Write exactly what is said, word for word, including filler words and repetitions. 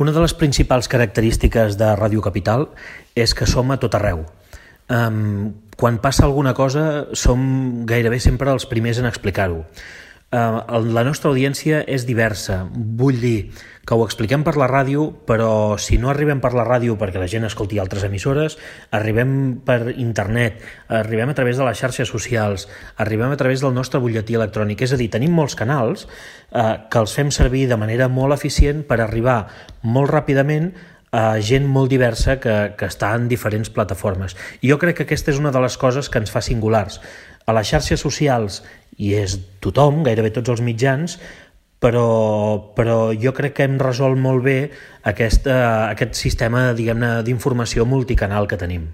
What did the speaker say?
Una de les principals característiques de Ràdio Capital és que som a tot arreu. Um, quan passa alguna cosa som gairebé sempre els primers en explicar-ho. Uh, la nostra audiència és diversa, vull dir que ho expliquem per la ràdio, però si no arribem per la ràdio perquè la gent escolti altres emissores, arribem per internet, arribem a través de les xarxes socials, arribem a través del nostre butlletí electrònic, és a dir, tenim molts canals uh, que els fem servir de manera molt eficient per arribar molt ràpidament a gent molt diversa que, que està en diferents plataformes. I jo crec que aquesta és una de les coses que ens fa singulars. A les xarxes socials hi és tothom, gairebé tots els mitjans, però, però jo crec que hem resolt molt bé aquest, aquest sistema, diguem-ne, d'informació multicanal que tenim.